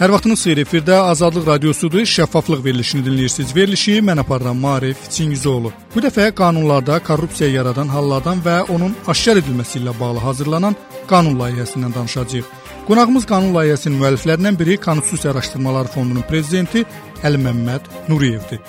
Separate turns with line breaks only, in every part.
Hər vaxtınız xeyir, efirdə Azadlıq Radiosudur, şəffaflıq verilişini dinləyirsiniz. Verilişi mən aparıram Maarif Çingizoğlu. Bu dəfə qanunlarda korrupsiya yaradan hallardan və onun aşkar edilməsi ilə bağlı hazırlanan qanun layihəsindən danışacağıq. Qonağımız qanun layihəsinin müəlliflərindən biri Konstitusiya Araşdırmaları Fondunun prezidenti Əliməmməd Nuriyevdir.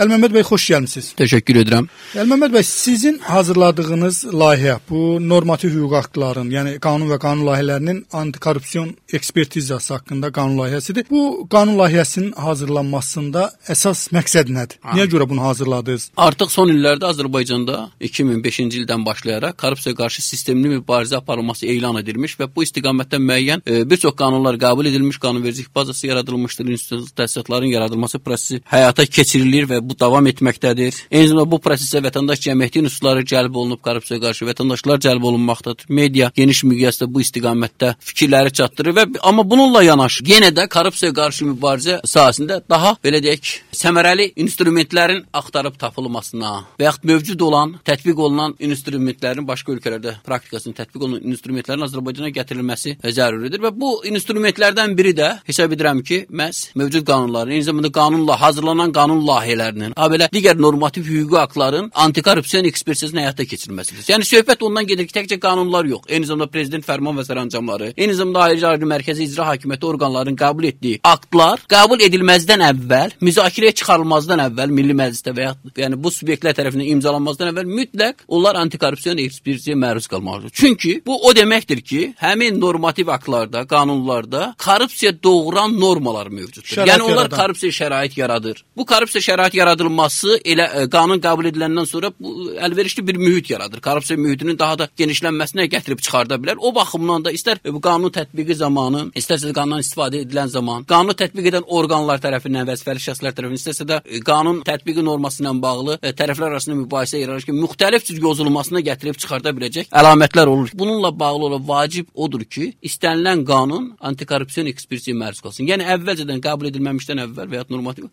Əliməmməd bəy, xoş gəlmisiniz.
Təşəkkür edirəm.
Əliməmməd bəy, sizin hazırladığınız layihə bu normativ hüquq aktların, yəni qanun və qanun layihələrinin antikorrupsiyon ekspertizası haqqında qanun layihəsidir. Bu qanun layihəsinin hazırlanmasında əsas məqsəd nədir? Niyə görə bunu hazırladınız?
Artıq son illərdə Azərbaycanda 2005-ci ildən başlayaraq korrupsiya qarşı sistemli mübarizə aparılması elan edilmiş və bu istiqamətdə müəyyən bir çox qanunlar qəbul edilmiş, qanunvericilik bazası yaradılmışdır, institusiya təsisatların yaradılması prosesi həyata keçirilir və bu davam etməkdədir. Eyni zamanda bu prosesə vətəndaş cəmiyyəti unsurları cəlb olunub, korrupsiya qarşı vətəndaşlar cəlb olunmaqdadır. Media geniş miqyasda bu istiqamətdə fikirləri çatdırır və amma bununla yanaşı yenə də korrupsiya qarşı mübarizə sahəsində daha belə deyək, səmərəli instrumentlərin axtarıb tapılmasına və yaxud mövcud olan, tətbiq olunan instrumentlərin başqa ölkələrdə praktikasının tətbiq olunan instrumentlərin Azərbaycana gətirilməsi zəruridir və bu instrumentlərdən biri də hesab edirəm ki, məhz mövcud qanunların, eyni zamanda qanunla hazırlanan qanun layihələrinin, belə digər normativ hüquqi aktların antikorrupsiyon ekspertizasının həyata keçirilməsidir. Yəni söhbət ondan gedir ki, təkcə qanunlar yox, eyni zamanda prezident fərman və sərəncamları, eyni zamanda ayrıca mərkəzi icra hakimiyyəti orqanlarının qəbul etdiyi aktlar qəbul edilməzdən əvvəl, müzakirəyə çıxarılmazdan əvvəl Milli Məclisdə və yəni bu subyektlər tərəfindən imzalanmazdan əvvəl mütləq onlar antikorrupsiyon ekspertizasına məruz qalmalıdır. Çünki bu o deməkdir ki, həmin normativ aktlarda, qanunlarda korrupsiya doğuran normalar mövcuddur. Yəni onlar korrupsiya şərait yaradır. Bu korrupsiya şərait yaradılması elə qanun qəbul ediləndən sonra əlverişli bir mühit yaradır. Korrupsiya mühitinin daha da genişlənməsinə gətirib çıxarda bilər. O baxımdan da istər bu qanun tətbiqi zamanı, istərsə qanundan istifadə edilən zaman, qanunu tətbiq edən orqanlar tərəfindən, vəzifəli şəxslər tərəfindən, istərsə də qanun tətbiqi norması ilə bağlı tərəflər arasında mübahisə yaranır ki, müxtəlif cür yozulmasına gətirib çıxarda biləcək əlamətlər olur. Bununla bağlı olan vacib odur ki, istənilən qanun antikorrupsiyon ekspertizasına məruz qalsın. Yəni əvvəlcədən qəbul edilməmişdən əvvəl və ya normativ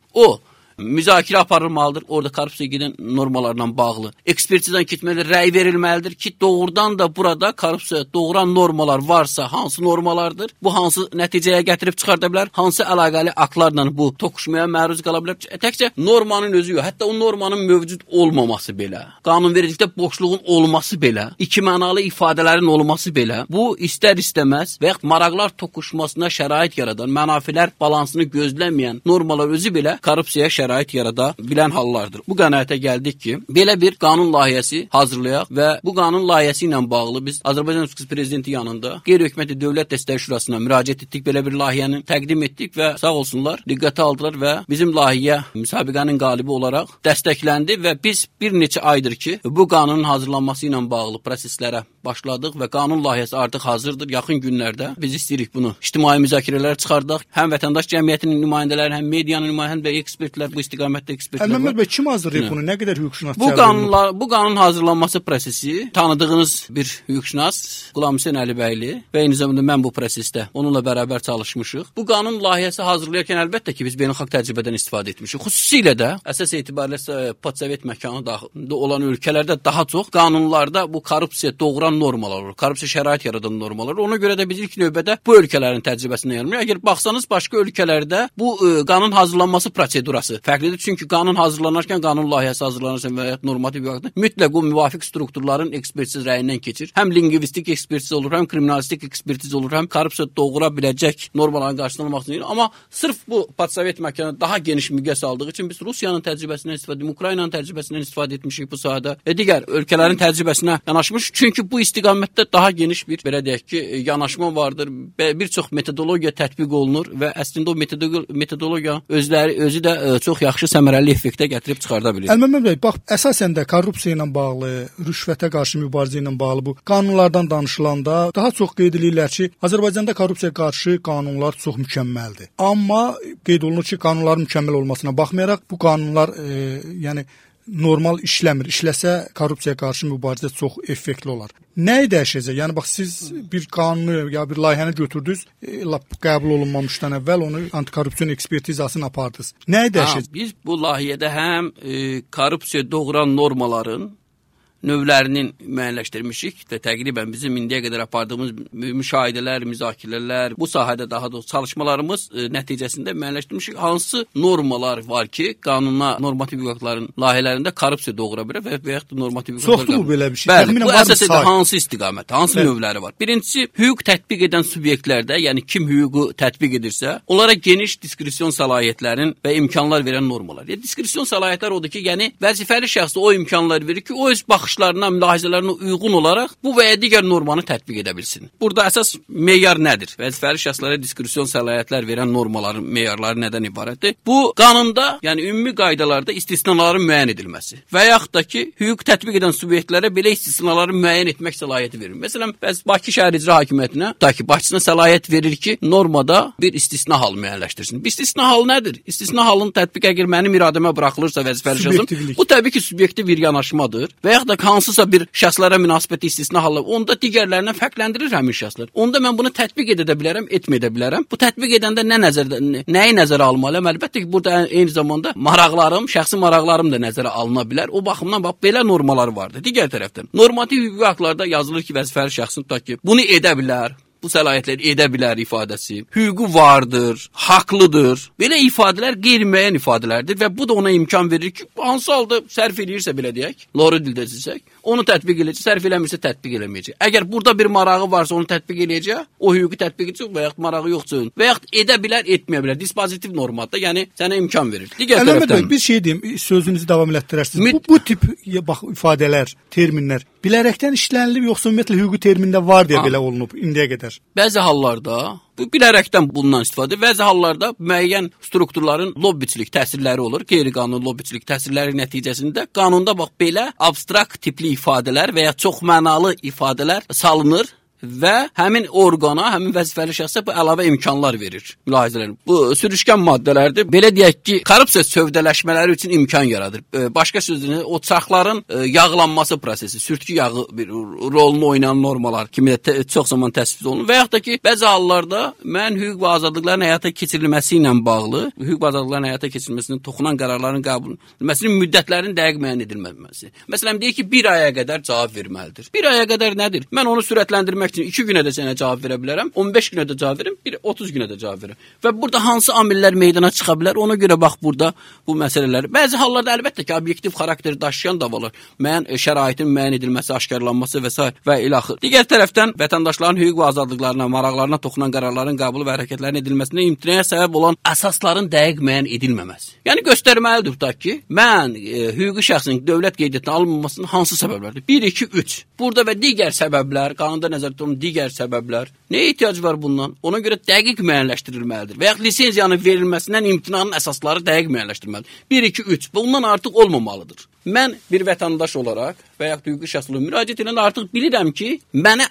müzakirə aparılmalıdır, orada korrupsiya gedən normalarla bağlı. Ekspertizdən keçməlidir, rəy verilməlidir ki, doğrudan da burada korrupsiya doğuran normalar varsa, hansı normalardır, bu hansı nəticəyə gətirib çıxarda bilər, hansı əlaqəli aktlarla bu toqquşmaya məruz qala bilər. Təkcə normanın özü yox, hətta o normanın mövcud olmaması belə, qanunvericilikdə boşluğun olması belə, ikimənalı ifadələrin olması belə, bu istər-istəməz və yaxud maraqlar toqquşmasına şərait yaradan, mənafilər balansını gözləməyən normalar özü belə korrupsiyaya şərait yarada bilən hallardır. Bu qənaətə gəldik ki, belə bir qanun layihəsi hazırlayaq və bu qanun layihəsi ilə bağlı biz Azərbaycan Respublikası Prezidenti yanında Qeyri-Hökuməti Dövlət Dəstəyi Şurasına müraciət etdik, belə bir layihəni təqdim etdik və sağ olsunlar, diqqətə aldılar və bizim layihə müsabiqənin qalibi olaraq dəstəkləndi və biz bir neçə aydır ki, bu qanunun hazırlanması ilə bağlı proseslərə başladıq və qanun layihəsi artıq hazırdır. Yaxın günlərdə biz istəyirik bunu ictimai müzakirələrə çıxardaq. Həm vətəndaş cəmiyyətinin nümayəndələri, həm medianın nümayəndələri, həm də ekspertlər, bu istiqamətdə ekspertlər var.
Əliməmməd bəy, kim hazırlayıb bunu? Nə qədər hüquqşünas cəlb
bu qanun hazırlanması prosesi tanıdığınız bir hüquqşünas Qulamhüseyn Əlibəyli və eyni zamanda mən bu prosesdə onunla bərabər çalışmışıq. Bu qanun layihəsi hazırlayarkən əlbəttə ki, biz beynəlxalq təcrübədən istifadə etmişik. Xüsusilə də əsas etibarilə postsovet məkanında olan ölkələrdə daha çox qanunlarda bu korrupsiya doğuran normalar olur. Korrupsiya şərait yaradan normalar. Ona görə də biz ilk növbədə bu ölkələrin təcrübəsindən yararlanırıq. Əgər baxsanız başqa ölkələrdə bu qanun hazırlanması prosedurası fərqlidir. Çünki qanun hazırlanarkən, qanun layihəsi hazırlanarkən və ya normativ hüquqda mütləq o müvafiq strukturların ekspertiz rəyindən keçir. Həm lingvistik ekspertiz olur, həm kriminalistik ekspertiz olur, həm korrupsiya doğura biləcək normalların qarşılanmaq üçün. Amma sırf bu postsovet məkanı daha geniş miqyas aldığı üçün biz Rusiyanın təcrübəsindən istifadə etdik, Ukraynanın təcrübəsindən istifadə etmişik bu sahədə və digər ölkələrin təcrübəsinə yanaşmış. Çünki bu istiqamətdə daha geniş bir, belə deyək ki, yanaşma vardır. Bir çox metodologiya tətbiq olunur və əslində o metodologiya özü də çox yaxşı səmərəli effektə gətirib çıxarda bilir.
Əliməmməd bəy, bax, əsasən də korrupsiya ilə bağlı, rüşvətə qarşı mübarizə ilə bağlı bu qanunlardan danışılanda daha çox qeyd edirlər ki, Azərbaycanda korrupsiya qarşı qanunlar çox mükəmməldir. Amma qeyd olunur ki, qanunların mükəmməl olmasına baxmayaraq bu qanunlar yəni normal işləmir. İşləsə korrupsiya qarşı mübarizə çox effektli olar. Nəyi dəyişəcək? Yəni bax, siz bir qanunu ya bir layihəni götürdünüz, qəbul olunmamışdan əvvəl onu antikorrupsiyon ekspertizasını apardınız. Nəyi dəyişəcək?
Biz bu layihədə həm korrupsiya doğuran normaların növlərinin müəyyənləşdirmişik və təqribən bizim indiyə qədər apardığımız müşahidələr, müzakirələr, bu sahədə daha doğrusu çalışmalarımız nəticəsində müəyyənləşdirmişik. Hansı normalar var ki, qanuna, normativ hüquqların layihələrində korrupsiya doğura bilər və yaxud da normativ hüquqlar.
Çoxdur bu belə bir şey.
Bəli, bu əsasən hansı istiqamət, hansı növləri var? Birincisi, hüquq tətbiq edən subyektlərdə, yəni kim hüququ tətbiq edirsə, onlara geniş diskresion səlahiyyətlərin və imkanlar verən normalar. Diskresion səlahiyyətlər odur ki, yəni vəzifəli şəxsə o imkanlar verir ki, o öz baxışlarına, mülahizələrinə uyğun olaraq bu və ya digər normanı tətbiq edə bilsin. Burada əsas meyar nədir? Vəzifəli şəxslərə diskresion səlahiyyətlər verən normaların meyarları nədən ibarətdir? Bu qanunda, yəni ümumi qaydalarda istisnaların müəyyən edilməsi və yaxud da ki, hüquq tətbiq edən subyektlərə belə istisnaları müəyyən etmək səlahiyyəti verir. Məsələn, Bakı Şəhər İcra Hakimiyyətinə, başçısına səlahiyyət verir ki, normada bir istisna hal müəyyənləşdirsin. Bir istisna hal nədir? İstisna halın tətbiq əgər mənim iradəmə buraxılırsa vəzifəli şəxsim, bu təbii ki, subyektiv bir yanaşmadır və yaxud da hansısa bir şəxslərə münasibətli istisna halı, onda digərlərindən fərqləndirir həmin şəxslər. Onda mən bunu tətbiq edə bilərəm, etməyə bilərəm. Bu tətbiq edəndə nəyi nəzərə almalıyam? Əlbəttə ki, burada eyni zamanda maraqlarım, şəxsi maraqlarım da nəzərə alına bilər. O baxımdan bax belə normalar vardır. Digər tərəfdən normativ hüquqi aktlarda yazılır ki, vəzifəli şəxsin tutaq ki, bunu edə bilər. Bu səlahiyyətləri edə bilər ifadəsi, hüququ vardır, haqlıdır. Belə ifadələr qeyri-müəyyən ifadələrdir və bu da ona imkan verir ki, hansı halda sərf edirsə belə deyək, loru dildə desək, onu tətbiq edəcək, sərf eləmirsə tətbiq eləməyəcək. Əgər burada bir marağı varsa onu tətbiq eləyəcək, o hüququ tətbiq edəcək və yaxud marağı yoxsa və yaxud edə bilər, etməyə bilər. Dispozitiv normadır, yəni sənə imkan verir. Digər tərəfdən
bir şey deyim, sözünüzü davam elətdirərsiniz. Bu tip bax ifadələr, terminlər bilərəkdən işlənilib yoxsa ümumiyyətlə hüquqi termində var deyə belə olunub indiyə qədər?
Bəzi hallarda bu bilərəkdən bundan istifadə, bəzi hallarda müəyyən strukturların lobbiçilik təsirləri olur, qeyri-qanuni lobbiçilik təsirləri nəticəsində qanunda bax belə abstrakt tipli ifadələr və ya çoxmənalı ifadələr salınır və həmin orqana, həmin vəzifəli şəxsə bu əlavə imkanlar verir. Mülahizələrin. Bu sürüşkən maddələrdir. Belə deyək ki, korrupsiya sövdələşmələri üçün imkan yaradır. Başqa sözlə o çarxların yağlanması prosesi, sürtkü yağı bir rolunu oynayan normalar kimi də çox zaman təsbit olunur. Və yaxud da ki, bəzi hallarda mən hüquq və azadlıqların həyata keçirilməsi ilə bağlı, hüquq və azadlıqların həyata keçirilməsinə toxunan qərarların qəbul edilməsinin müddətlərinin dəqiq müəyyən edilməməsi. Məsələn, deyək ki, 1 aya qədər cavab verməlidir. 1 aya qədər nədir? Mən onu sürətləndirmək üçün 2 günə də sənə cavab verə bilərəm, 15 günə də cavab verəm, 30 günə də cavab verəm. Və burada hansı amillər meydana çıxa bilər, ona görə bax burada bu məsələlər. Bəzi hallarda əlbəttə ki, obyektiv xarakteri daşıyan davalar, müəyyən şəraitin müəyyən edilməsi, aşkarlanması və s. və ilaxır. Digər tərəfdən vətəndaşların hüquq və azadlıqlarına, maraqlarına toxunan qərarların qəbulu və hərəkətlərin edilməsinə imtinaya səbəb olan əsasların dəqiq müəyyən edilməməsi. Yəni göstərməlidir tutaq ki, mən hüquqi şəxsin dövlət qeydiyyatına alınmamasının hansı səbəblərdir? 1, 2, 3. Burada və digər səbəblər, qanunda nəzərdə tutulan digər səbəblər. Nəyə ehtiyac var bundan? Ona görə dəqiq müəyyənləşdirilməlidir. Və ya lisenziyanın verilməsindən imtinanın əsasları dəqiq müəyyənləşdirilməlidir. 1, 2, 3. Bundan artıq olmamalıdır. Mən bir vətəndaş olaraq və ya hüquqi şəxs olaraq müraciət edən artıq bilirəm ki, mənə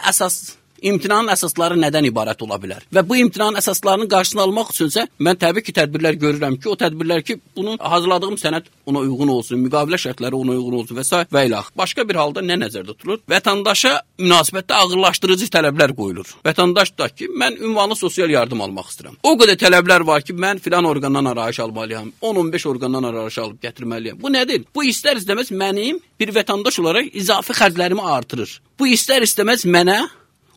imtinanın əsasları nədən ibarət ola bilər? Və bu imtinanın əsaslarının qarşısını almaq üçünsə, mən təbii ki, tədbirlər görürəm ki, o tədbirlər ki, bunu hazırladığım sənəd ona uyğun olsun, müqavilə şərtləri ona uyğun olsun və s. və ilax. Başqa bir halda nə nəzərdə tutulur? Vətəndaşa münasibətdə ağırlaşdırıcı tələblər qoyulur. Vətəndaş da ki, mən ünvanlı sosial yardım almaq istəyirəm. O qədər tələblər var ki, mən filan orqandan arayış almalıyam, 10-15 orqandan arayış alıb gətirməliyəm. Bu nədir? Bu istər-istəməz mənim bir vətəndaş olaraq izafi xərclərimi artırır. Bu istər-istəməz mənə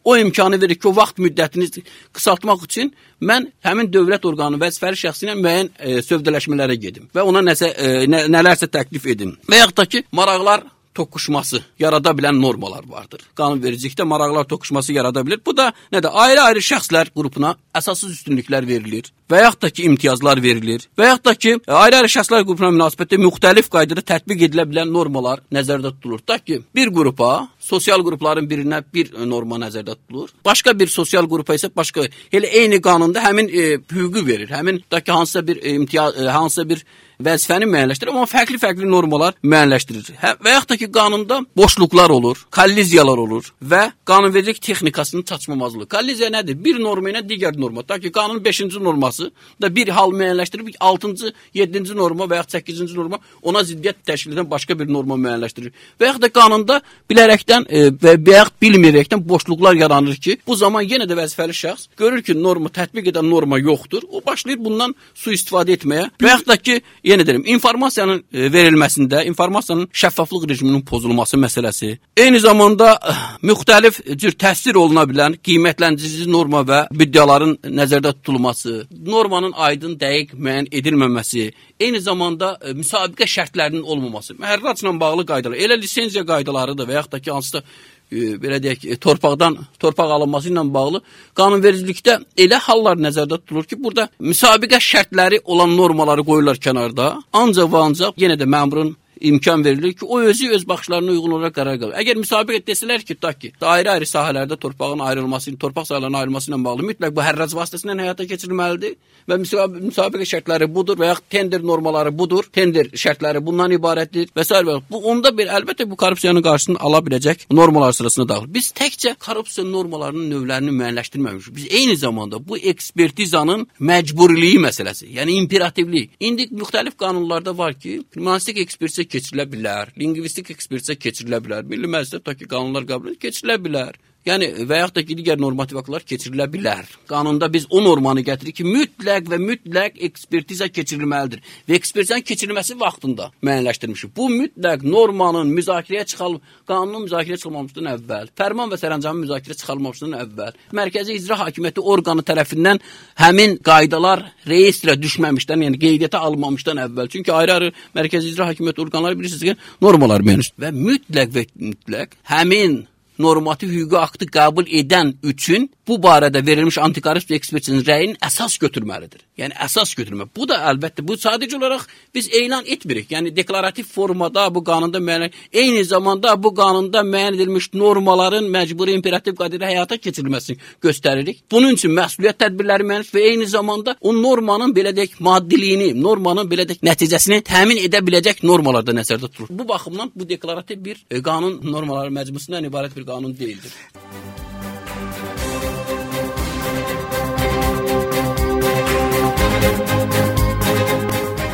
o imkanı verir ki, o vaxt müddətini qısaltmaq üçün mən həmin dövlət orqanı vəzifəli şəxsi ilə müəyyən sövdələşmələrə gedim və ona nələrsə təklif edim. Və yaxud da ki, maraqlar toqquşması yarada bilən normalar vardır. Qanunvericilikdə maraqlar toqquşması yarada bilir. Bu da nədir? Ayrı-ayrı şəxslər qrupuna əsassız üstünlüklər verilir və yaxud da ki, imtiyazlar verilir və yaxud da ki, ayrı-ayrı şəxslər qrupuna münasibətdə müxtəlif qaydada tətbiq edilə bilən normalar nəzərdə tutulur. Da ki, bir qrupa, sosial qrupların birinə bir norma nəzərdə tutulur. Başqa bir sosial qrupa isə başqa, elə eyni qanunda həmin hüququ verir. Həmin da ki, hansısa bir imtiyaz, hansısa bir vəzifəni müəyyənləşdirir, amma fərqli-fərqli normalar müəyyənləşdirir. Və yaxud da ki, qanunda boşluqlar olur, kolliziyalar olur və qanunvericilik texnikasının çatışmamazlığı. Kolliziya nədir? Bir norma ilə digər norma. Ta ki, qanunun 5-ci norması da bir hal müəyyənləşdirib, 6-cı, 7-ci norma və yaxud 8-ci norma ona ziddiyyət təşkil edən başqa bir norma müəyyənləşdirir. Və yaxud da qanunda bilərəkdən bilməkdən və yaxud bilməyərəkdən boşluqlar yaranır ki, bu zaman yenə də vəzifəli şəxs görür ki, norma tətbiq edən norma yoxdur. O başlayır bundan sui-istifadə etməyə və yaxud da ki, yenə deyirəm, informasiyanın verilməsində, informasiyanın şəffaflıq rejiminin pozulması məsələsi, eyni zamanda müxtəlif cür təsvir oluna bilən qiymətləndirici norma və büdcələrin nəzərdə tutulması, normanın aydın, dəqiq müəyyən edilməməsi, eyni zamanda müsabiqə şərtlərinin olmaması, məhərracla bağlı qaydalar, elə lisenziya qaydaları da və yaxud da ki, hansısa belə deyək, torpaq alınması ilə bağlı qanunvericilikdə elə hallar nəzərdə tutulur ki, burada müsabiqə şərtləri olan normaları qoyurlar kənarda, ancaq və ancaq yenə də məmurun imkan verilir ki, o özü öz baxışlarına uyğun olaraq qərar qəbul. Əgər müsabiqə desələr ki, ayrı-ayrı sahələrdə torpağın ayrılması, torpaq sahələrinin ayrılması ilə bağlı mütləq bu hərrac vasitəsilə həyata keçirilməlidir və müsabiqə şərtləri budur və yaxud tender normaları budur, tender şərtləri bundan ibarətdir və s. Bu onda bir əlbəttə bu korrupsiyanın qarşısını ala biləcək normalar sırasına daxil. Biz təkcə korrupsiya normalarının növlərini müəyyənləşdirməmişik. Biz eyni zamanda bu ekspertizanın məcburiliyi məsələsi, yəni imperativlik. İndi müxtəlif qanunlarda var ki, kriminalistik ekspertiza keçirilə bilər, lingvistik ekspertiza keçirilə bilər, Milli Məclisdə tutaq ki, qanunlar qəbul keçirilə bilər. Yəni və yaxud da ki, digər normativ aktlar keçirilə bilər. Qanunda biz o normanı gətiririk ki, mütləq ekspertiza keçirilməlidir və ekspertizanın keçirilməsi vaxtında müəyyənləşdirmişik. Bu mütləq normanın qanunun müzakirəyə çıxılmamışdan əvvəl, fərman və sərəncamın müzakirəyə çıxarılmamışdan əvvəl, Mərkəzi İcra Hakimiyyəti orqanı tərəfindən həmin qaydalar reyestrə düşməmişdən, yəni qeydiyyata alınmamışdan əvvəl. Çünki ayrı-ayrı Mərkəzi İcra Hakimiyyəti orqanları bilirsiniz ki, normalar müəyyənləşdirir və mütləq həmin normativ hüquqi aktı qəbul edən üçün bu barədə verilmiş antikorrupsiya ekspertinin rəyinin əsas götürməlidir. Yəni əsas götürmə. Bu da əlbəttə bu sadəcə olaraq biz elan etmirik. Yəni deklarativ formada bu qanunda müəyyən, eyni zamanda bu qanunda müəyyən edilmiş normaların məcburi imperativ qaydada həyata keçirilməsini göstəririk. Bunun üçün məsuliyyət tədbirləri müəyyən və eyni zamanda o normanın belə deyək maddiliyini, normanın belə deyək nəticəsini təmin edə biləcək normalarda nəzərdə tutulur. Bu baxımdan bu deklarativ bir qanun normaları məcmusundan ibarət bir qanun deyildir.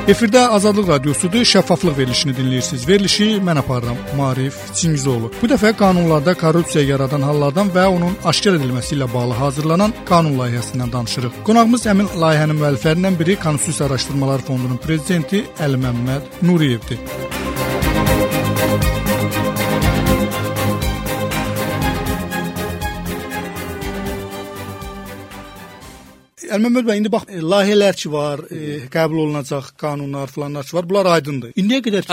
Efirdə Azadlıq Radiosudur, şəffaflıq verilişini dinləyirsiniz. Verilişi mən aparıram, Maarif Çingizoğlu. Bu dəfə qanunlarda korrupsiya yaradan hallardan və onun aşkar edilməsi ilə bağlı hazırlanan qanun layihəsindən danışırıq. Qonağımız həmin layihənin müəlliflərindən biri Konstitusiya Araşdırmalar Fondunun prezidenti Əli Məmməd Nuriyevdir. Əlməmməd bəy, indi bax, layihələr ki var, qəbul olunacaq qanunlar falanlar ki var, bunlar aydındır. İndiyə qədər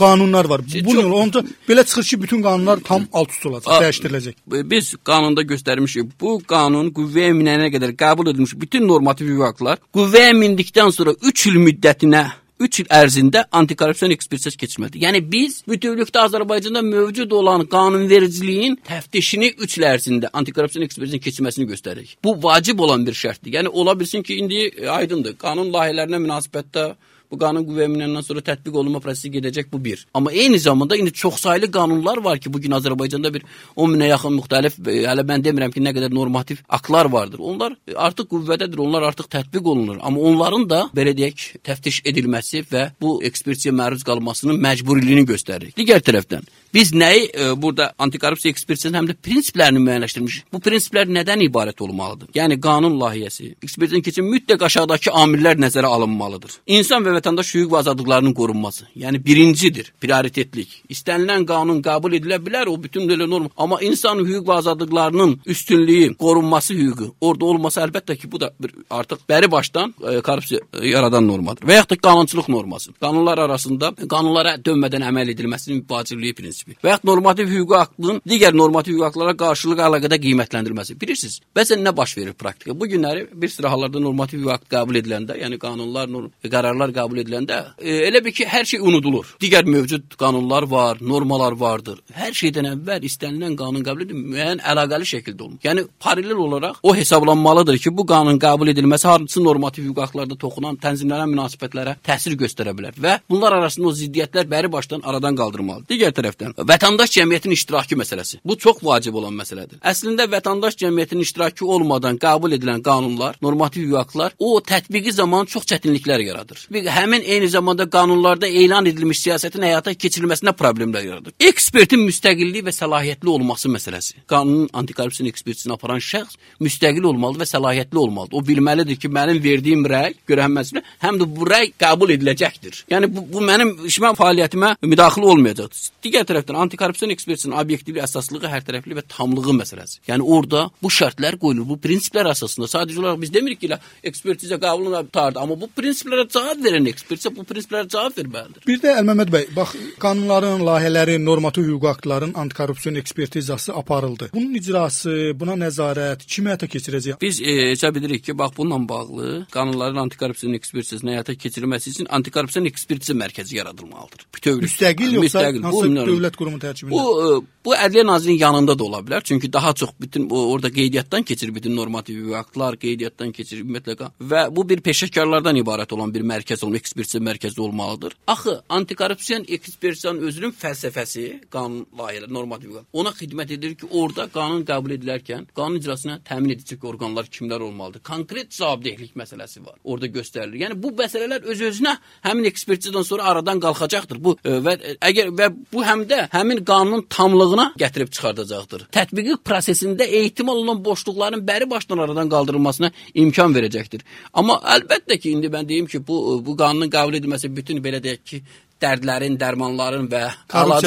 qanunlar var. Bu yol onca belə çıxır ki, bütün qanunlar tam alt-üst olacaq, dəyişdiriləcək.
Biz qanunda göstərmişik, bu qanun qüvvəyə minənə qədər qəbul edilmiş bütün normativ hüquqi aktlar qüvvəyə mindikdən sonra 3 il müddətinə 3 il ərzində antikorrupsiya ekspertizası keçirməlidir. Yəni biz bütövlükdə Azərbaycanda mövcud olan qanunvericiliyin təftişini 3 il ərzində antikorrupsiya ekspertizasının keçirməsini göstəririk. Bu vacib olan bir şərtdir. Yəni ola bilsin ki, indi aydındır. Qanun layihələrinə münasibətdə bu qanun qüvvəyə minəndən sonra tətbiq olunma prosesi gedəcək, bu bir. Amma eyni zamanda indi çoxsaylı qanunlar var ki, bugün Azərbaycanda bir 10 minə yaxın müxtəlif, hələ mən demirəm ki, nə qədər normativ aktlar vardır. Onlar artıq qüvvədədir, onlar artıq tətbiq olunur. Amma onların da belə deyək, təftiş edilməsi və bu ekspertizaya məruz qalmasının məcburiliyini göstərir. Digər tərəfdən biz nəyi burada antikorrupsiya ekspertizasının həm də prinsiplərini müəyyənləşdirmişik. Bu prinsiplər nədən ibarət olmalıdır? Yəni qanun layihəsi, ekspertizanın keçin mütləq aşağıdakı amillər nəzərə alınmalıdır. İnsan və vətəndaş hüquq və azadlıqlarının qorunması. Yəni birincidir, prioritetlik. İstənilən qanun qəbul edilə bilər, o bütün belə norma. Amma insan hüquq və azadlıqlarının üstünlüyü, qorunması hüququ orada olması əlbəttə ki, bu da artıq bəri başdan korrupsiya yaradan normadır. Və yaxud da qanunçuluq norması. Qanunlar arasında qanunlara dönmədən əməl edilməsinin vacibliyi prinsipi. Və yaxud normativ hüquqi aktın digər normativ hüquqi aktlara qarşılıq əlaqədə qiymətləndirilməsi. Bilirsiniz, bəzən nə baş verir praktikada? Bu günləri bir sıra hallarda normativ hüquqi akt qəbul ediləndə, yəni qanunlar, qərarlar qəbul ediləndə elə bir ki, hər şey unudulur. Digər mövcud qanunlar var, normalar vardır. Hər şeydən əvvəl istənilən qanun qəbul edilməsi müəyyən əlaqəli şəkildə olunur. Yəni paralel olaraq o hesablanmalıdır ki, bu qanun qəbul edilməsi hansı normativ hüquqi aktlarda toxunan tənzimlənən münasibətlərə təsir göstərə bilər və bunlar arasında o ziddiyyətlər bəri başdan aradan qaldırılmalıdır. Digər tərəfdən tərəfdən vətəndaş cəmiyyətinin iştirakı məsələsi. Bu çox vacib olan məsələdir. Əslində vətəndaş cəmiyyətinin iştirakı olmadan qəbul edilən qanunlar, normativ hüquqlar o tətbiqi zaman çox çətinliklər yaradır. Həmin eyni zamanda qanunlarda elan edilmiş siyasətin həyata keçirilməsində problemlər yaradır. Ekspertin müstəqilliyi və səlahiyyətli olması məsələsi. Qanunun antikorrupsiya ekspertizini aparan şəxs müstəqil olmalı və səlahiyyətli olmalıdır. O bilməlidir ki, mənim verdiyim rəy görənməsinə həm də bu rəy qəbul ediləcəkdir. Yəni bu mənim işimə, fəaliyyətimə müdaxilə olmayacaqdır. Digər tərəfdən antikorrupsiya ekspertizinin obyektivliyi, əsaslığı, hərtərəfli və tamlığı məsələsi. Yəni orada bu şərtlər qoyulur. Bu prinsiplər əsasında sadəcə olaraq biz demirik ki, ekspertizə qəbul olunardı, amma bu prinsiplərə cavab verən ekspertizə bu prinsiplərə cavab verməlidir.
Bir də Əlməmməd bəy, bax qanunların, layihələrin, normativ hüquq aktların antikorrupsiya ekspertizası aparıldı. Bunun icrası, buna nəzarət kim həyata keçirəcək?
Biz hesab edirik ki, bax bununla bağlı qanunların antikorrupsiya ekspertizasının həyata keçirilməsi üçün antikorrupsiya ekspertiza mərkəzi yaradılmalıdır.
Müstəqil yoxsa hansı dövlət qurumu tərkibində?
Bu Ədliyyə Nazirliyinin yanında da ola bilər. Çünki daha çox bütün orada qeydiyyatdan keçir bütün normativ hüquq aktlar, qeydiyyatdan keçir ümumiyyətlə və bu bir peşəkarlardan ibarət olan bir mərkəz olmalı, ekspertiza mərkəzi olmalıdır. Axı antikorrupsiya ekspertizanın özünün fəlsəfəsi, qanun layihələri, normativ hüquq ona xidmət edir ki, orada qanun qəbul edilərkən qanun icrasına təmin edici orqanlar kimlər olmalıdır? Konkret cavabdehlik məsələsi var. Orada göstərilir. Yəni bu məsələlər öz-özünə həmin ekspertizadan sonra aradan qalxacaqdır. Bu və bu həm də həmin qanunun tamlığına gətirib çıxardacaqdır. Tətbiqi prosesində ehtimal olunan boşluqların bəri başdan aradan qaldırılmasına imkan verəcəkdir. Amma əlbəttə ki, indi mən deyim ki, bu qanunun qəbul edilməsi bütün belə deyək ki, dərdlərin, dərmanların və amma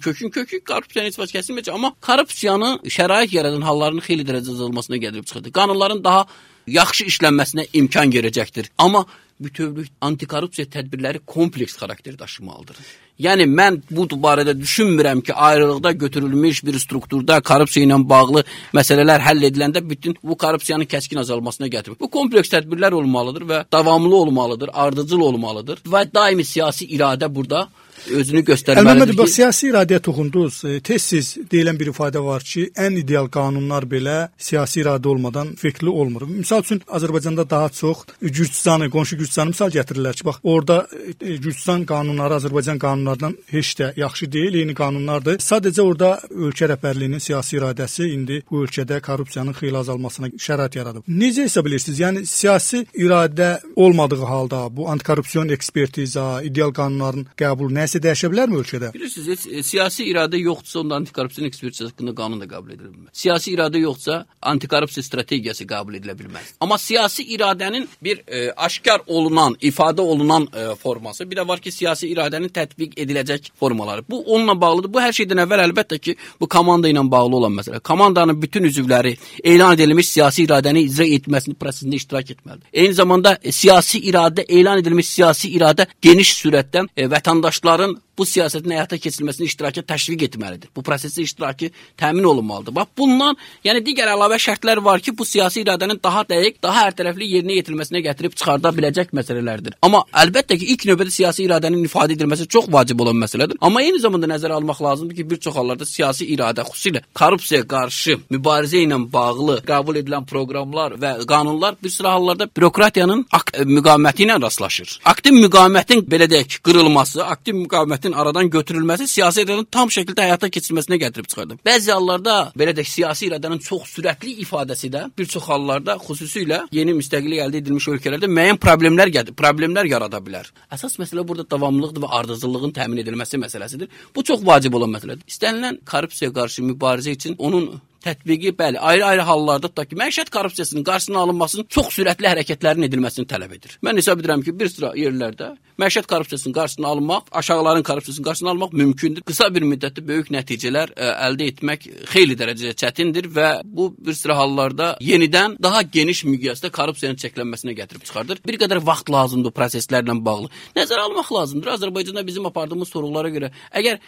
kökün korrupsiyanın heç vaxt kəsilməyəcək. Amma korrupsiyanı şərait yaradan halların xeyli dərəcədə azalmasına gətirib çıxardır. Qanunların daha yaxşı işlənməsinə imkan verəcəkdir. Amma bütövlük antikorrupsiya tədbirləri kompleks xarakter daşımalıdır. Yəni mən bu barədə düşünmürəm ki, ayrılıqda götürülmüş bir strukturda korrupsiya ilə bağlı məsələlər həll ediləndə bütün bu korrupsiyanın kəskin azalmasına gətirir. Bu kompleks tədbirlər olmalıdır və davamlı olmalıdır, ardıcıl olmalıdır və daimi siyasi iradə burada özünü göstərməlidir.
Əlbəttə, siyasi iradəyə toxundunuz. Tez-tez deyilən bir ifadə var ki, ən ideal qanunlar belə siyasi iradə olmadan fekli olmur. Misal üçün Azərbaycanda daha çox Gürcüstanı, qonşu Gürcüstanı misal gətirirlər ki, bax orada Gürcüstan qanunları Azərbaycan qanunlarından heç də yaxşı deyil, eyni qanunlardır. Sadəcə orada ölkə rəhbərliyinin siyasi iradəsi indi bu ölkədə korrupsiyanın xeyli azalmasına şərait yaradıb. Necə hesab edirsiniz? Yəni siyasi iradə olmadığı halda bu antikorrupsiya ekspertiza, ideal qanunların qəbulu nəsə dəyişə bilərmi ölkədə?
Bilirsiniz, siyasi iradə yoxdursa, onda antikorrupsiya ekspertizası haqqında qanun da qəbul edilə bilməz. Siyasi iradə yoxsa, antikorrupsiya strategiyası qəbul edilə bilməz. Amma siyasi iradənin bir aşkar olunan, ifadə olunan forması, bir də var ki, siyasi iradənin tətbiq ediləcək formaları. Bu onunla bağlıdır. Bu hər şeydən əvvəl əlbəttə ki, bu komanda ilə bağlı olan məsələ. Komandanın bütün üzvləri elan edilmiş siyasi iradəni icra etməsinin prosesində iştirak etməlidir. Eyni zamanda siyasi iradə, elan edilmiş siyasi iradə geniş sürətdən vətəndaşların bu siyasətin həyata keçirilməsini iştirakı təşviq etməlidir. Bu prosesin iştirakı təmin olunmalıdır. Bax bundan, yəni digər əlavə şərtlər var ki, bu siyasi iradənin daha dəqiq, daha hərtərəfli yerinə yetirilməsinə gətirib çıxarda biləcək məsələlərdir. Amma əlbəttə ki, ilk növbədə siyasi iradənin ifadə edilməsi çox vacib olan məsələdir. Amma eyni zamanda nəzərə almaq lazımdır ki, bir çox hallarda siyasi iradə, xüsusilə korrupsiyaya qarşı mübarizə ilə bağlı qəbul edilən proqramlar və qanunlar bir sıra hallarda bürokratiyanın müqaviməti ilə rastlaşır. Aktiv müqavimətin belə deyək, qırılması, aktiv müqavimətin aradan götürülməsi siyasi iradənin tam şəkildə həyata keçirilməsinə gətirib çıxardı. Bəzi hallarda belə də siyasi iradənin çox sürətli ifadəsi də bir çox hallarda xüsusilə yeni müstəqillik əldə edilmiş ölkələrdə müəyyən problemlər yarada bilər. Əsas məsələ burada davamlılıqdır və ardıcıllığın təmin edilməsi məsələsidir. Bu çox vacib olan məsələdir. İstənilən korrupsiyaya qarşı mübarizə üçün onun tətbiqi, bəli, ayrı-ayrı hallarda tutaq ki, məişət korrupsiyasının qarşısının alınmasının çox sürətli hərəkətlərin edilməsini tələb edir. Mən hesab edirəm ki, bir sıra yerlərdə məişət korrupsiyasının qarşısını almaq, aşağıların korrupsiyasının qarşısını almaq mümkündür. Qısa bir müddətdə böyük nəticələr əldə etmək xeyli dərəcədə çətindir və bu bir sıra hallarda yenidən daha geniş miqyasda korrupsiyanın çəklənməsinə gətirib çıxardır. Bir qədər vaxt lazımdır proseslərlə bağlı. Nəzərə almaq lazımdır. Azərbaycanda bizim apardığımız sorğulara görə, əgər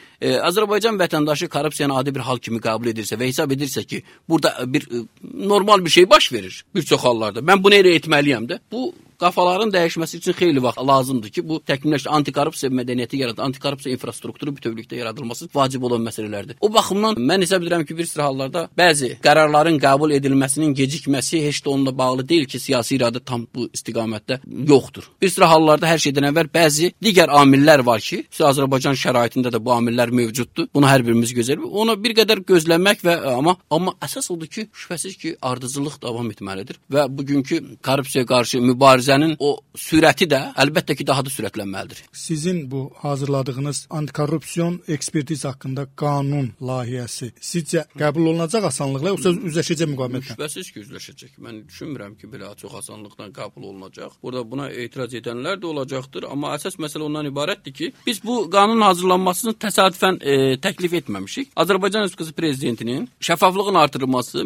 Azərbaycan vətəndaşı korrupsiyanı adi bir hal kimi qəbul edirsə və hesab edirsə ki, burada bir normal bir şey baş verir bir çox hallarda. Mən bunu elə etməliyəm də. Bu qafaların dəyişməsi üçün xeyli vaxt lazımdır ki, bu təkmilləşdirilmiş antikorrupsiya mədəniyyəti yaradılması, antikorrupsiya infrastrukturu bütövlükdə yaradılması vacib olan məsələlərdir. O baxımdan mən hesab edirəm ki, bir sıra hallarda bəzi qərarların qəbul edilməsinin gecikməsi heç də onunla bağlı deyil ki, siyasi iradə tam bu istiqamətdə yoxdur. Bir sıra hallarda hər şeydən əvvəl bəzi digər amillər var ki, Azərbaycan şəraitində də bu amillər mövcuddur. Bunu hər birimiz gözləyirik. Onu bir qədər gözləmək və amma əsas odur ki, şübhəsiz ki, ardıcıllıq davam etməlidir və bugünkü korrupsiyaya qarşı mübarizənin o sürəti də əlbəttə ki, daha da sürətlənməlidir.
Sizin bu hazırladığınız antikorrupsiyon ekspertiz haqqında qanun layihəsi sizcə qəbul olunacaq asanlıqla, yoxsa üzləşəcək müqavimətlə?
Şübhəsiz ki, üzləşəcək. Mən düşünmürəm ki, belə çox asanlıqla qəbul olunacaq. Burada buna etiraz edənlər də olacaqdır, amma əsas məsələ ondan ibarətdir ki, biz bu qanunun hazırlanmasını təsadüfən təklif etməmişik. Azərbaycan Respublikası Prezidentinin şəffaflığın artırılması,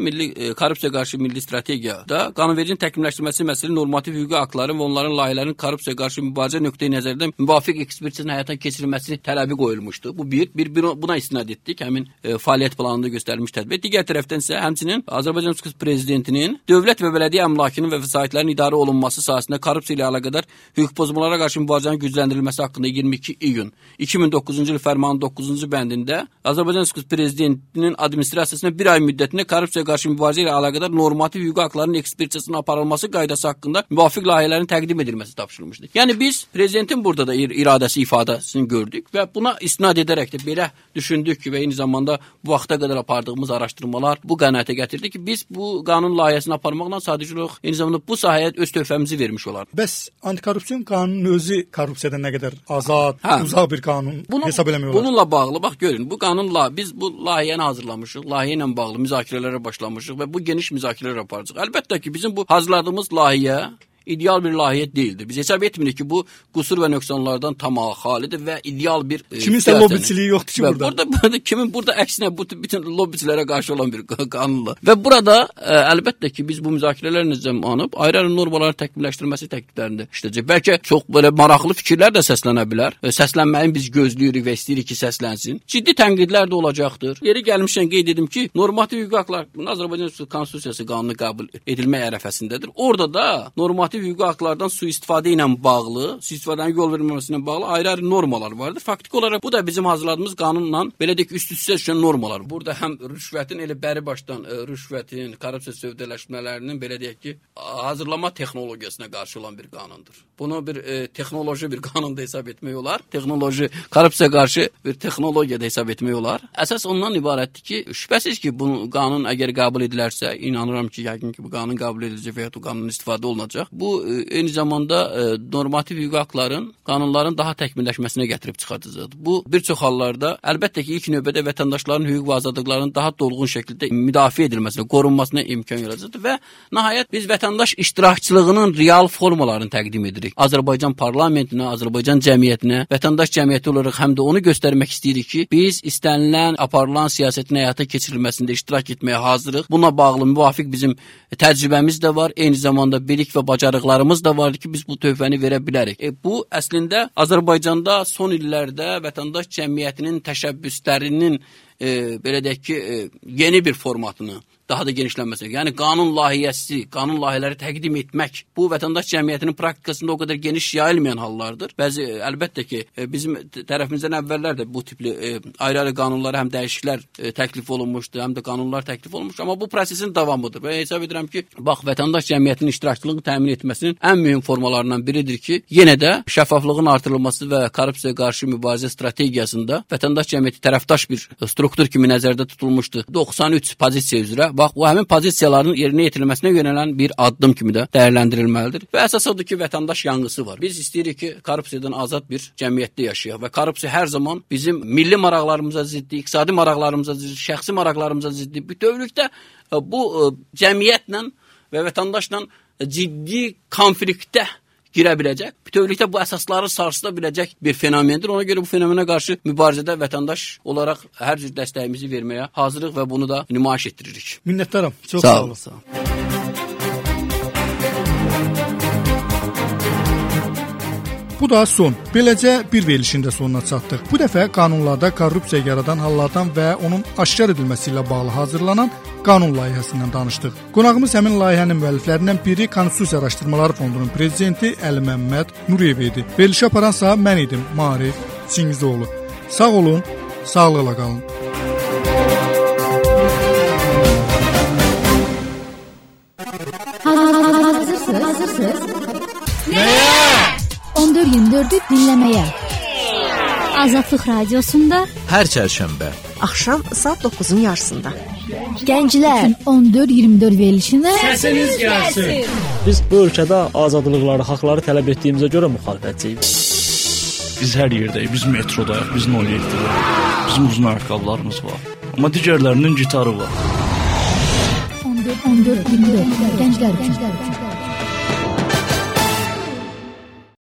korrupsiya qarşı milli strategiyada qanunvericiliyin təkmilləşdirilməsi məsələ normativ hüquqi aktların və onların layihələrinin korrupsiya qarşı mübarizə nöqteyi-nəzərdən müvafiq ekspertizin həyata keçirilməsi tələbi qoyulmuşdu. Bu buna istinad etdik. Həmin fəaliyyət planında göstərilmiş tədbir. Digər tərəfdən isə həmçinin Azərbaycan Respublikası Prezidentinin dövlət və bələdiyyə əmlakının və vəsaitlərin idarə olunması sahəsində korrupsiya ilə əlaqədar hüquq pozmalara qarşı mübarizənin gücləndirilməsi haqqında 22 iyun 2009-cu il fərmanının 9-cu bəndində Azərbaycan Respublikası Prezidentinin administrasiyasına bir ay müddətində korrupsiya qarşı mübarizə ilə əlaqədar normativ hüquqi aktların ekspertizasının aparılması qaydası haqqında müvafiq layihələrin təqdim edilməsi tapşırılmışdı. Yəni biz prezidentin burada da iradəsi ifadəsini gördük və buna istinad edərək də belə düşündük ki, və eyni zamanda bu vaxta qədər apardığımız araşdırmalar bu qənaətə gətirdi ki, biz bu qanun layihəsini aparmaqla sadəcə olaraq eyni zamanda bu sahəyə öz töhfəmizi vermiş olarıq.
Bəs antikorrupsiyon qanunun özü korrupsiyadan nə qədər azad, uzaq bir qanun hesab eləmək olar?
Bununla bağlı bax görün, bu qanunla biz bu layihəni hazırlamışıq, layihə ilə bağlı müzakirələrə başlamışıq və bu geniş müzakirələr aparacağıq. Əlbəttə ki, bizim bu hazırladığımız layihə ideal bir layihə deyildir. Biz hesab etmirik ki, bu qüsur və nöqsanlardan tamam xalidir və ideal bir
kiminsə lobbiçiliyi yoxdur ki burada.
Burada əksinə bütün lobbiçilərə qarşı olan bir qanunla. Və burada əlbəttə ki, biz bu müzakirələrlə zamanı ayrı-ayrı normaların təkmilləşdirilməsi təkliflərində işləyəcək. Bəlkə çox belə maraqlı fikirlər də səslənə bilər. Səslənməyi biz gözləyirik və istəyirik ki, səslənsin. Ciddi tənqidlər də olacaqdır. Yeri gəlmişkən qeyd edim ki, normativ hüquqi aktlar Azərbaycan Konstitusiyası qanunu qəbul edilmək ərəfəsindədir. Orada da normativ hüquqi aktlardan sui-istifadə ilə bağlı, sui-istifadənin yol verilməməsinə bağlı ayrı-ayrı normalar vardır. Faktiki olaraq bu da bizim hazırladığımız qanunla belə deyək üst-üstə düşən normalar. Burada həm rüşvətin elə bəri başdan rüşvətin, korrupsiya sövdələşmələrinin belə deyək ki, hazırlama texnologiyasına qarşı olan bir qanundur. Bunu bir texnoloji bir qanunda hesab etmək olar. Texnoloji, korrupsiya qarşı bir texnologiyada hesab etmək olar. Əsas ondan ibarətdir ki, şübhəsiz ki, bu qanun əgər qəbul edilərsə, inanıram ki, yəqin ki, bu qanun qəbul ediləcək və ya bu qanunun istifadə olunacaq. Bu eyni zamanda normativ hüquqi aktların, qanunların daha təkmilləşməsinə gətirib çıxartacaqdır. Bu bir çox hallarda əlbəttə ki, ilk növbədə vətəndaşların hüquq və azadlıqlarının daha dolğun şəkildə müdafiə edilməsinə, qorunmasına imkan yaradacaqdır və nəhayət biz vətəndaş iştirakçılığının real formalarını təqdim edirik. Azərbaycan parlamentinə, Azərbaycan cəmiyyətinə, vətəndaş cəmiyyəti olaraq həm də onu göstərmək istəyirik ki, biz istənilən, aparılan siyasətin həyata keçirilməsində iştirak etməyə hazırıq. Buna bağlı müvafiq bizim təcrübəmiz də var, eyni zamanda bilik və bacarıqlarımız da var ki, biz bu töhfəni verə bilərik. Bu əslində Azərbaycanda son illərdə vətəndaş cəmiyyətinin təşəbbüslərinin belə deyək ki, yeni bir formatını daha da genişlənməsi. Yəni qanun layihəsi, qanun layihələri təqdim etmək bu vətəndaş cəmiyyətinin praktikasında o qədər geniş yayılmayan hallardır. Bəzi əlbəttə ki, bizim tərəfimizdən əvvəllər də bu tipli ayrı-ayrı qanunlara həm dəyişikliklər təklif olunmuşdu, həm də qanunlar təklif olunmuşdu. Amma bu prosesin davamıdır. Və hesab edirəm ki, bax vətəndaş cəmiyyətinin iştirakçılığını təmin etməsinin ən mühüm formalarından biridir ki, yenə də şəffaflığın artırılması və korrupsiyaya qarşı mübarizə strategiyasında vətəndaş cəmiyyəti tərəfdaş bir struktur kimi nəzərdə tutulmuşdu. 93 pozisiya üzrə. Bax, bu həmin pozisiyaların yerinə yetirilməsinə yönələn bir addım kimi də dəyərləndirilməlidir. Və əsas odur ki, vətəndaş yanğısı var. Biz istəyirik ki, korrupsiyadan azad bir cəmiyyətdə yaşayaq və korrupsiya hər zaman bizim milli maraqlarımıza ziddir, iqtisadi maraqlarımıza ziddir, şəxsi maraqlarımıza ziddir. Bütövlükdə bu cəmiyyətlə və vətəndaşla ciddi konfliktə girə biləcək. Bütövlükdə bu əsasları sarsıda biləcək bir fenomendir. Ona görə bu fenomenə qarşı mübarizədə vətəndaş olaraq hər cür dəstəyimizi verməyə hazırıq və bunu da nümayiş etdiririk.
Minnətdaram. Çox sağ olun.
Sağ olun.
Bu da son. Beləcə bir verilişin də sonuna çatdıq. Bu dəfə qanunlarda korrupsiya yaradan hallardan və onun aşkar edilməsi ilə bağlı hazırlanan qanun layihəsindən danışdıq. Qonağımız həmin layihənin müəlliflərindən biri Konstitusiya Araşdırmaları Fondunun prezidenti Əli Məmməd Nuriyev idi. Verilişi aparansa mən idim, Maarif Çingizoğlu. Sağ olun, sağlıqla qalın.
Hazırsınız? Nəyə? 14-24'ü dinləməyə. Azadlıq Radiosunda
hər çərşənbə
axşam saat 9-un yarısında.
Gənclər 14-24 verilişinə
səsiniz gəlsin.
Biz bu ölkədə azadlıqları, haqları tələb etdiyimizə görə müxalifətçiyik.
Biz hər yerdəyik, biz metrodayıq, biz 07-dəyik. Bizim uzun ayaqqabılarımız var. Amma digərlərinin gitarı var.
14-24 gənclər üçün.